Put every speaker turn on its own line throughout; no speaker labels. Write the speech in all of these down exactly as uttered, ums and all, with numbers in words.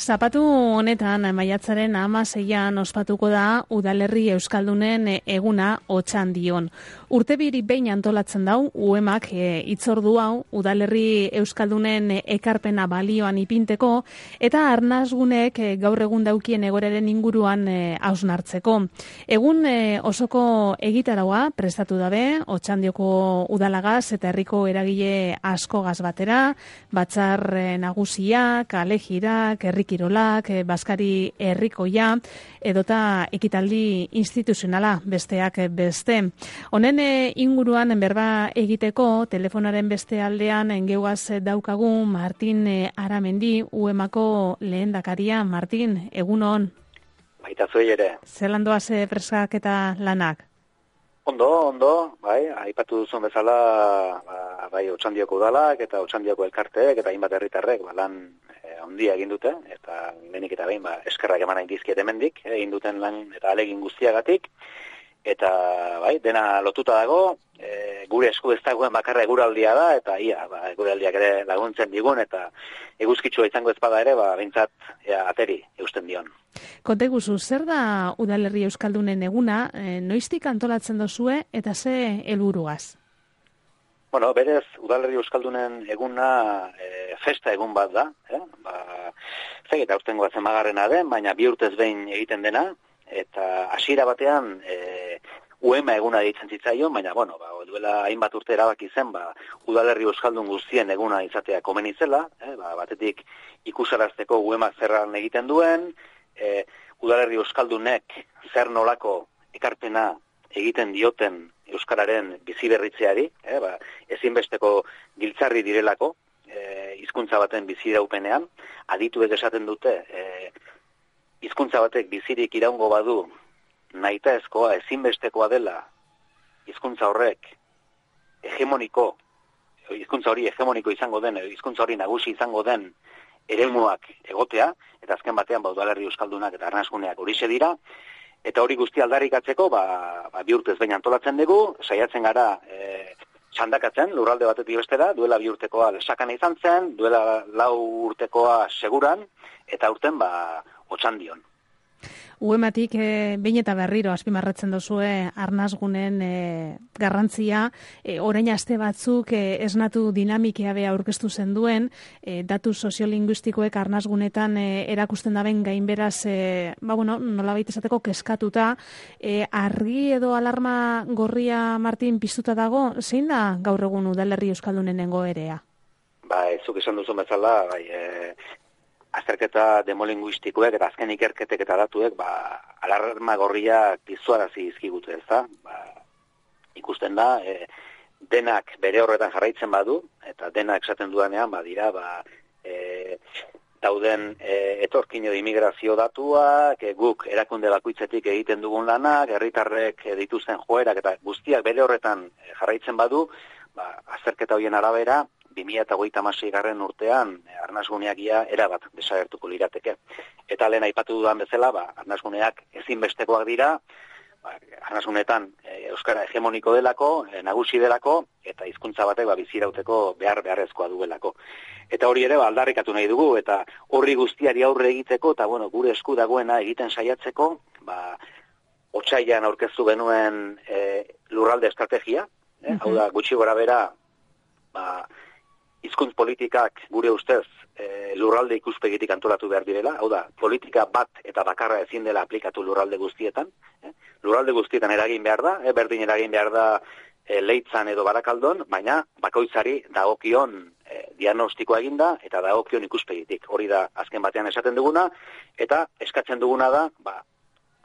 Zapatu honetan, maiatzaren hamaseian ospatuko da Udalerri Euskaldunen eguna Otxandion. Urtebiri behin antolatzen dau, uemak e, itzordu hau Udalerri Euskaldunen ekarpena balioan ipinteko, eta arnasgunek e, gaur egun daukien egoraren inguruan e, hausnartzeko. Egun e, osoko egitaraua prestatu dabe, Otxandioko udalagaz eta herriko eragile askogaz batera, batzar e, nagusiak, alejirak, herrikirolak, e, Baskari herrikoia, edota ekitaldi instituzionala besteak beste. Honen inguruan berba egiteko telefonaren beste aldean engeugaz daukagu Martin Aramendi, uemako lehendakaria. Martin, egunon.
Baita zuei ere.
Zelan doaz presak eta lanak?
Ondo, ondo, bai, aipatu duzun bezala, ba, bai, Otxandioko udalak eta Otxandioko elkarteek eta hainbat herritarrek ba, lan e, handia egin dute, eta lehenik eta behin ba, eskerrak eman hain dizkiet hemendik, egin duten lan eta alegin guztiagatik. Eta bai, dena lotuta dago, e, gure esku ez dagoen bakarra eguraldia da, eta ia, ba, eguraldiak ere laguntzen digun, eta eguzkitsua izango ez bada ere, ba, behintzat ea, ateri eusten dion.
Konta iguzu, zer da Udalerri Euskaldunen eguna, e, noiztik antolatzen dozue, eta ze helburuaz?
Bueno, berez, Udalerri Euskaldunen eguna e, festa egun bat da, eh? Ba, zegit, aurtengoa zemagarrena den, baina bi urtez behin egiten dena, eta hasiera batean e, uema eguna deitzen zitzaion, baina bueno, ba, duela hainbat urte erabaki zen, ba, Udalerri Euskaldun guztien eguna izatea komeni zela, eh, ba, batetik ikusarazteko uema zerran egiten duen, e, Udalerri Euskaldunek zer nolako ekarpena egiten dioten euskararen biziberritzeari, eh, ba, ezinbesteko giltzarri direlako, e, hizkuntza baten biziraupenean, adituek esaten dute, e, hizkuntza batek bizirik iraungo badu nahitaezkoa ezinbestekoa dela hizkuntza horrek hegemoniko, hizkuntza hori hegemoniko izango den, hizkuntza hori nagusi izango den eremuak egotea, eta azken batean ba, Udalerri Euskaldunak eta arnasguneak horixe dira, eta hori guzti aldarrikatzeko ba, ba, bi urtez behin antolatzen dugu, saiatzen gara e, txandakatzen, lurralde batetik bestera, duela bi urtekoa lesakana izan zen, duela lau urtekoa seguran, eta urten ba, Otxandion.
Uematik e, behin eta berriro azpimarratzen dozue arnasgunen e, garrantzia, e, orain aste batzuk e, esnatu dinamikea be aurkeztu zen duen, e, datu soziolinguistikoek arnasgunetan e, erakusten daben gainberaz, e, ba bueno, nolabait esateko keskatuta, e, argi edo alarma gorria, Martin, piztuta dago, zein da gaur egun Udalerri Euskaldunen egoera?
Ba, zuk esan duzun bezala, bai, e, azterketa demolinguistikoek eta azken ikerketek eta datuek ba, alarma gorriak pizuarazi izkigute, ez da? Ba, ikusten da, e, denak bere horretan jarraitzen badu, eta denak esaten dudanean, ba, dira, ba, e, dauden e, etorkin edo immigrazio datuak, e, guk erakunde bakoitzetik egiten dugun lanak, herritarrek e, dituzten joerak eta guztiak bere horretan e, jarraitzen badu, ba, azterketa horien arabera, bi mila hogeita hamasei garren urtean arnasguneak ia erabat desagertuko lirateke. Eta lehen aipatu dudan bezala, ba, arnasguneak ezinbestekoak dira, ba, arnasgunetan e, euskara hegemoniko delako, e, nagusi delako, eta hizkuntza batek ba, bizirauteko behar beharrezkoa duelako. Eta hori ere ba, aldarrikatu nahi dugu, eta horri guztiari aurre egiteko, eta bueno, gure esku dagoena egiten saiatzeko, ba, otsailean aurkeztu genuen e, lurralde estrategia, eh? Uh-huh. Hau da, gutxi gora bera, ba, hizkuntz politikak gure ustez e, lurralde ikuspegitik antolatu behar direla, hau da, politika bat eta bakarra ezin dela aplikatu lurralde guztietan, eh? Lurralde guztietan eragin behar da, eh? Berdin eragin behar da e, Leitzan edo Barakaldon, baina bakoitzari dagokion e, diagnostikoa eginda eta dagokion ikuspegitik. Hori da azken batean esaten duguna, eta eskatzen duguna da, ba,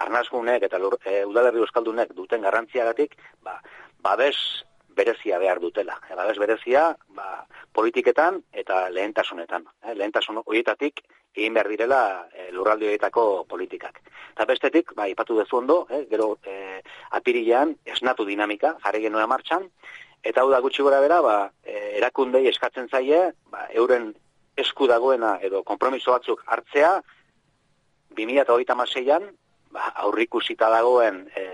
arnasgunek eta lur, e, Udalerri Euskaldunek duten garrantziagatik, ba, babes berezia behar dutela. E, babes berezia, ba, politiketan eta lehentasunetan. E, lehentasun horietatik egin behar direla e, lurralde horietako politikak. Eta bestetik, ba, ipatu dezu ondo, e, gero e, apirilean esnatu dinamika, jarri genuen martxan, eta hau da gutxi gora bera, ba, e, erakundei eskatzen zaie, ba, euren esku dagoena edo konpromiso batzuk hartzea, bi mila hogeita hamaseian, ba, aurrikusita dagoen e,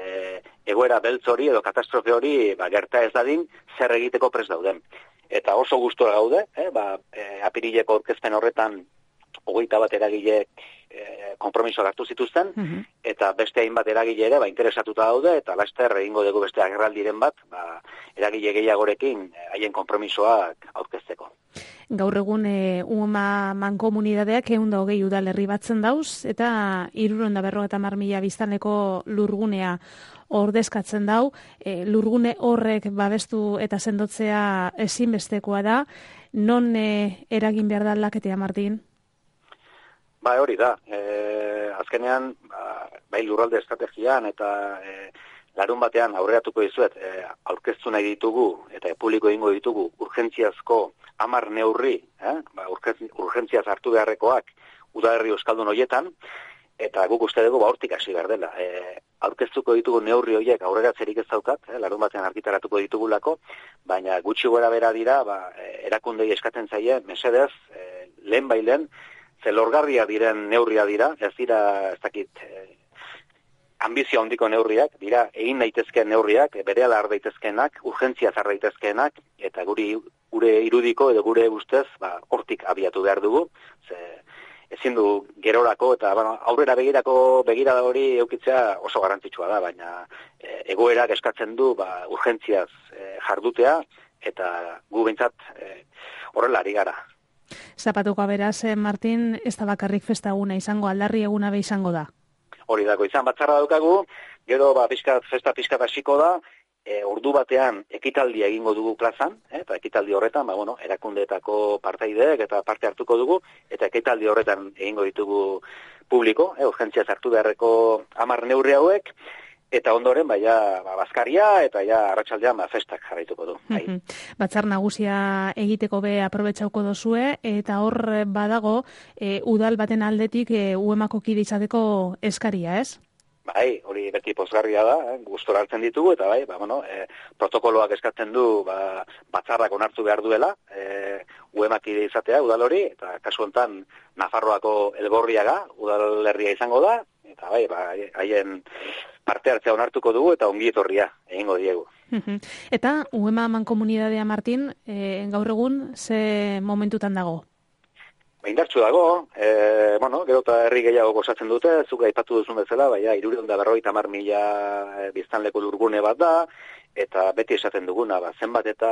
egoera beltz hori edo katastrofe hori ba, gerta ez dadin zer egiteko prest dauden. Eta oso gustora gaude, eh, ba, e, apirileko aurkezpen horretan hogeita bat eragilek e, konpromisoak hartu zituzten, uh-huh. eta beste hainbat eragile ere ba, interesatuta daude, eta laster egingo dugu beste agerraldiren bat, ba, eragile gehiagorekin haien konpromisoak aurkezteko.
Gaur egun e, Uma mankomunidadeak ehun eta hogei udalerri batzen dauz, eta hirurehun eta berrogeita hamar mila biztanleko lurgunea ordezkatzen dau. E, lurgune horrek babestu eta sendotzea ezinbestekoa da. Non e, eragin behar da aldaketea, Martin?
Ba, hori da. E, azkenean, ba, bai lurralde estrategian eta e, larun batean aurreratuko dizuet, e, aurkeztu nahi ditugu eta publiko egingo ditugu urgentziazko hamar neurri, eh? ba, urgentziaz hartu beharrekoak udalerri euskaldun horietan, eta guk uste dugu ba, hortik hasi behar dela. E, aurkeztuko ditugu neurri horiek aurreratzerik ez daukat, eh? larun batean argitaratuko ditugulako, baina gutxi gora bera dira, ba, erakundei eskatzen zaie, mesedez, e, lehen bailen, zelorgarria diren neurria dira, ez dira, ez dakit, e, ambizio handiko neurriak, dira egin daitezkeen neurriak, berehala har daitezkeenak, urgentziaz har daitezkeenak, eta guri gure irudiko edo gure ustez, ba, hortik abiatu behar dugu, ze ezin du gerorako eta bueno, aurrera begirako begirada hori eukitzea oso garrantzitsua da, baina e, egoerak eskatzen du ba, urgentziaz e, jardutea, eta gu behintzat e, horrela ari gara.
Zapatuko beraz, Martin, ez da bakarrik festa eguna izango, aldarri eguna be izango da.
Hori dago, izan batzarra daukagu, gero ba, pixkat, festa pixkat hasiko da, e, ordu batean ekitaldia egingo dugu plazan, eh, eta ekitaldi horretan, ba, bueno, erakundeetako partaideek eta parte hartuko dugu, eta ekitaldi horretan egingo ditugu publiko, eh, urgentziaz hartu beharreko hamar neurri hauek, eta ondoren, ba, ja, ba, bazkaria, eta ja, arratsaldean ba, festak jarraituko du. Bai.
Batzar nagusia egiteko be aprobetxauko dozue, eta hor badago, e, udal baten aldetik e, uemako kide izateko eskaria, ez?
Bai, hori beti pozgarria da, eh, gustora hartzen ditugu, eta bai, ba, bueno, e, protokoloak eskatzen du ba, batzarrak onartu behar duela, e, uemak kide izatea udal hori, eta kasu honetan Nafarroako Elgorriaga udalerria izango da, eta bai, ba, haien parte hartzea onartuko dugu eta ongi etorria egingo diegu.
Eta Uema mankomunidadea, Martin, e, gaur egun ze momentutan dago?
Ba, indartsu dago, e, bueno, gero eta herri gehiago gozatzen dute, zuk aipatu duzun bezala, baina hirurehun eta berrogeita hamar mila biztanleko lurgune bat da, eta beti esaten duguna, ba, zenbat eta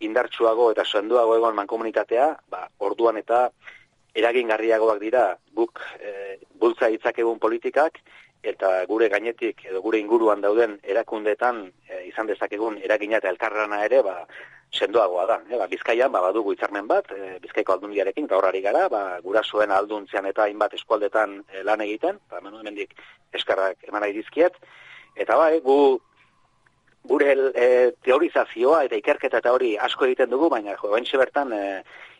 indartsuago eta sendoago egon mankomunitatea, ba, orduan eta eragingarriagoak dira guk e, bultza ditzakegun politikak, eta gure gainetik edo gure inguruan dauden erakundeetan e, izan dezakegun eragina eta elkarlana ere ba, sendoagoa da. E, ba, Bizkaian ba, badugu hitzarmen bat, e, Bizkaiko aldundiarekin, eta horari gara, ba, gurasoen alduntzean eta hainbat eskualdetan e, lan egiten, ba, hemendik eskarrak eman nahi dizkiet, eta bai, gu gure e, teorizazioa eta ikerketa eta hori asko egiten dugu, baina jo, bentsi bertan e,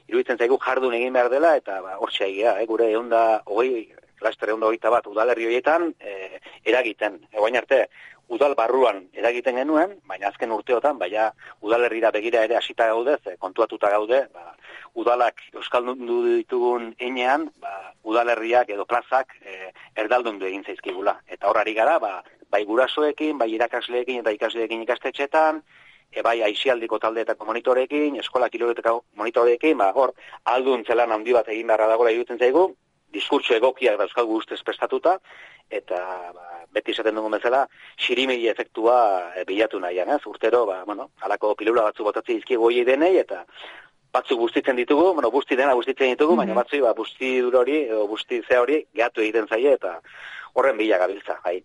iruditzen zaigu jardun egin behar dela, eta ba, hortxe egia, e, gure eunda hogei laster egun hogeita bat udalerri horietan e, eragiten. Egoin arte, udal barruan eragiten genuen, baina azken urteotan, baina udalerrira begira ere hasita gaude, ze, kontuatuta gaude, ba, udalak euskaldundu ditugun enean, ba, udalerriak edo plazak e, erdaldundu egin zaizkigula. Eta horari gara, ba, bai gurasoekin, bai irakasleekin eta ikasleekin ikastetxetan, e, bai aizialdiko taldeetako monitorekin, eskola kiloretako monitorekin, ba, hor, alduntzelan handi bat egin beharra dagoela iruditzen zaigu, diskurtso egokiak dauzkagu ustez prestatuta, eta ba, beti esaten dugun bezala, xirimegi efektua e, bilatu nahian, ez? Urtero, ba, bueno, alako pilula batzu botatzi dizkigu hori denei, eta batzuk bustitzen ditugu, bueno, busti dena bustitzen ditugu, mm-hmm. baina batzu, ba, busti dur hori, edo busti ze hori, gehatu egiten zaie, eta horren bila gabiltza, bai.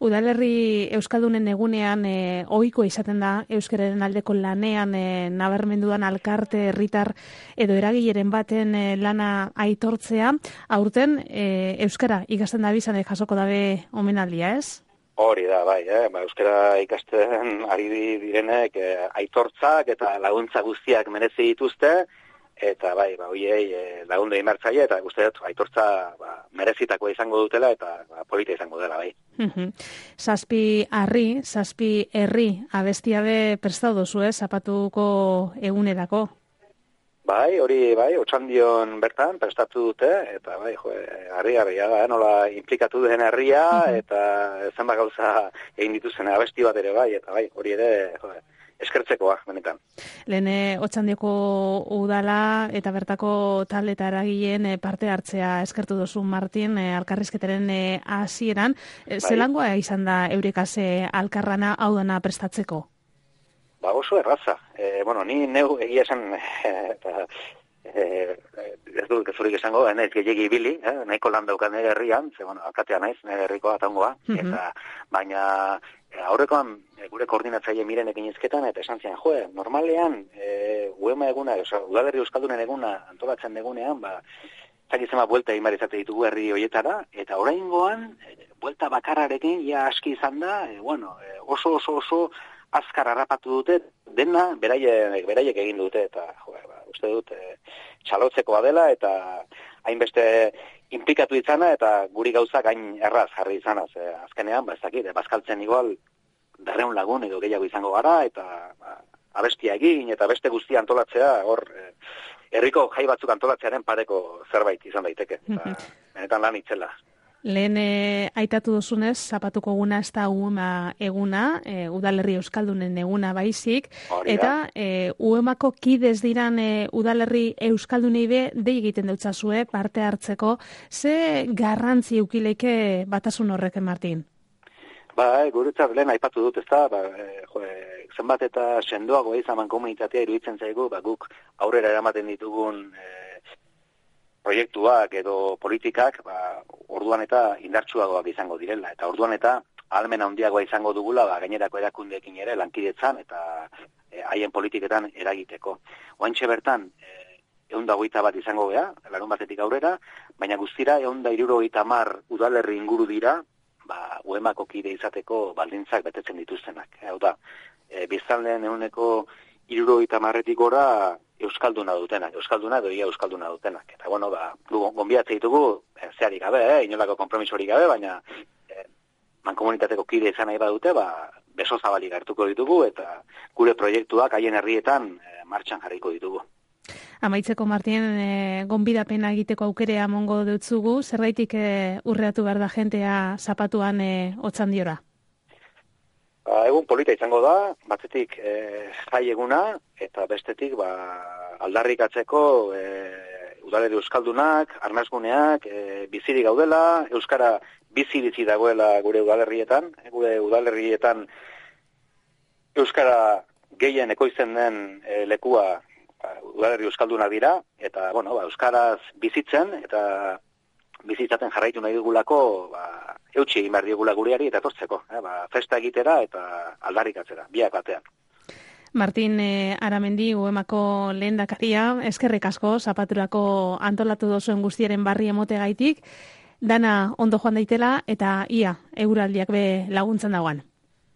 Udalerri Euskaldunen egunean e, ohiko izaten da euskararen aldeko lanean e, nabarmendudan alkarte, herritar edo eragileren baten e, lana aitortzea. Aurten e, euskara ikasten da bizan jasoko dabe omenaldia, ez?
Hori da, bai, eh? ba, euskara ikasten ari direnek e, aitortzak eta laguntza guztiak merezi dituzte, eta bai, ba, hoiei e, lagundu egin bertzaile, eta guzti dut, aitortza ba, merezitakoa izango dutela, eta ba, polita izango dela, bai.
Zazpi harri, zazpi herri, abestia be prestau dozu, eh, zapatuko egunerako?
Bai, hori, bai, otxandion bertan prestatu dute, eta bai, jo, harri harria da, nola implikatu den herria, eta zenbat gauza egin dituzen abesti bat ere, bai, eta bai, hori ere, jo, eskertzekoa, benetan.
Lehen Otxandioko udala eta bertako talde eta eragileen parte hartzea eskertu duzu, Martin, elkarrizketaren hasieran. Zelangoa izan da eurikase alkarrana hau dana prestatzeko?
Ba, oso erraza. E, bueno, ni neu egia esan, eta, e, ez dut gezurik esango, naiz gehiagi ibili, eh, nahiko lan daukan nire herrian, ze, bueno, alkatea naiz, nire herrikoa atangoa, mm-hmm. eta, baina, aurrekoan, gure koordinatzaile mirenekin izketan, eta esan zian, joe, normalean, e, uema eguna, oza, udalerri euskaldunen eguna antolatzen egunean, ba, zakizema buelta egin izate ditugu herri hoietara, eta oraingoan, e, buelta bakarrarekin, ja aski izan da, e, bueno, e, oso, oso, oso, azkar harrapatu dute, dena beraiek, beraiek egin dute, eta jo, ba, uste dut e, txalotzekoa dela, eta hainbeste inplikatu izana, eta guri gauzak hain erraz jarri izanaz. E, azkenean, ba, ez dakit, bazkaltzen igual, darreun lagun edo gehiago izango gara, eta ba, abestia egin, eta beste guztia antolatzea, hor, e, herriko jai batzuk antolatzearen pareko zerbait izan daiteke. Eta, benetan lan itzela.
Lehen e, aitatu duzunez, zapatuko eguna ez da uema eguna, e, udalerri euskaldunen eguna baizik, eta e, uemako kidez diran e, udalerri euskaldunei be dei egiten deutzazue parte hartzeko, ze garrantzi eukileke batasun horrek, Martin?
Ba, e, guretzat lehen aipatu dut, ez da, ba, e, jo, e, zenbat eta sendoago izaman komunitatea iruditzen zaigu, ba, guk aurrera eramaten ditugun e, proiektuak edo politikak, ba, orduan eta indartsuagoak izango direla, eta orduan eta ahalmen handiagoa izango dugula, ba, gainerako erakundeekin ere lankidetzan eta haien e, politiketan eragiteko. Oantxe bertan, e, ehun eta hogeita bat izango gea, larun batetik aurrera, baina guztira ehun eta hirurogeita hamar udalerri inguru dira, ba, uemako kide izateko baldintzak betetzen dituztenak. Hau da, e, biztanleen ehuneko hirurogeita hamarretik gora euskalduna dutenak, euskalduna edo ia euskalduna dutenak. Eta bueno, ba, gonbiatze ditugu, e, zeharik gabe, eh, inolako konpromisorik gabe, baina e, mankomunitateko kide izan nahi badute, ba, beso zabalik hartuko ditugu, eta gure proiektuak haien herrietan e, martxan jarriko ditugu.
Amaitzeko, Martin, e, gonbidapena egiteko aukerea mongo dutzugu, zergaitik e, urreatu behar da jentea zapatuan e, Otxandiora?
Ba, egun polita izango da, batzetik e, jai eguna, eta bestetik ba, aldarrikatzeko e, udalerri euskaldunak, arnazguneak, e, bizirik gaudela, euskara bizi-bizi dagoela gure udalerrietan, gure udalerrietan euskara gehien ekoizten den e, lekua ba, udalerri euskaldunak dira, eta bueno, ba, euskaraz bizitzen, eta bizitzaten jarraitu nahi dugulako, ba, eutxi egin behar digula gureari eta etortzeko, eh? Ba, festa egitera eta aldarrikatzera, biak batean.
Martin eh, Aramendi, uemako lehendakaria, eskerrik asko, zapaturako antolatu dozuen guztiaren barri emote gaitik, dana ondo joan daitela eta ia, euraldiak be laguntzen dagoan.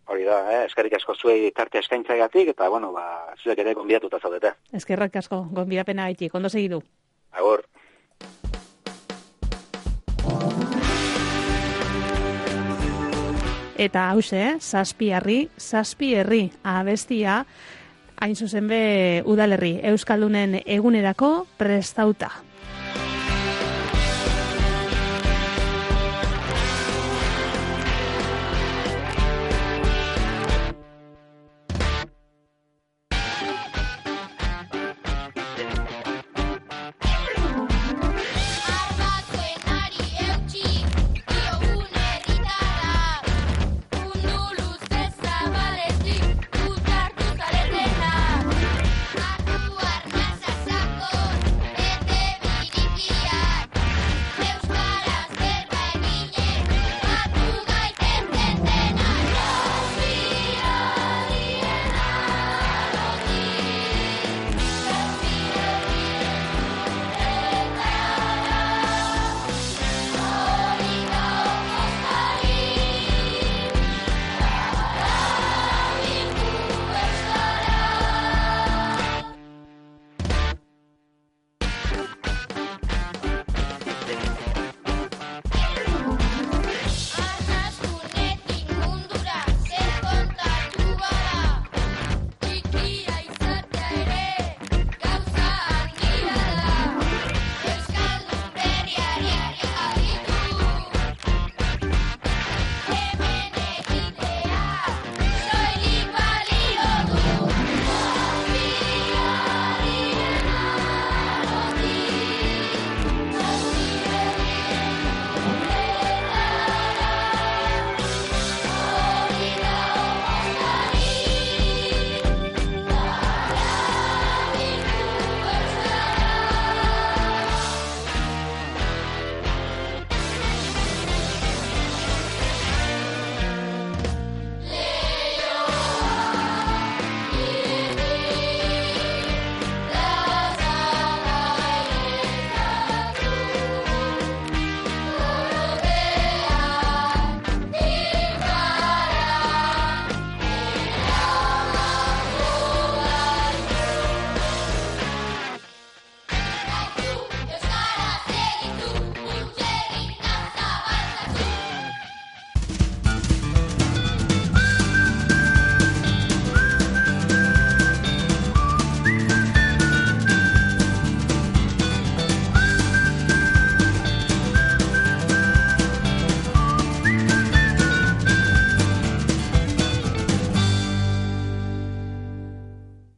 Hori da, eh? Eskerrik asko zuei tarte eskaintzagatik eta, bueno, ba, zuek ere gonbidatuta zaudete.
Eskerrik asko, gonbidapena gaitik, ondo segidu.
Agur.
Eta hause, zazpi herri, zazpi herri abestia, hain zuzen be udalerri euskaldunen egunerako prestauta.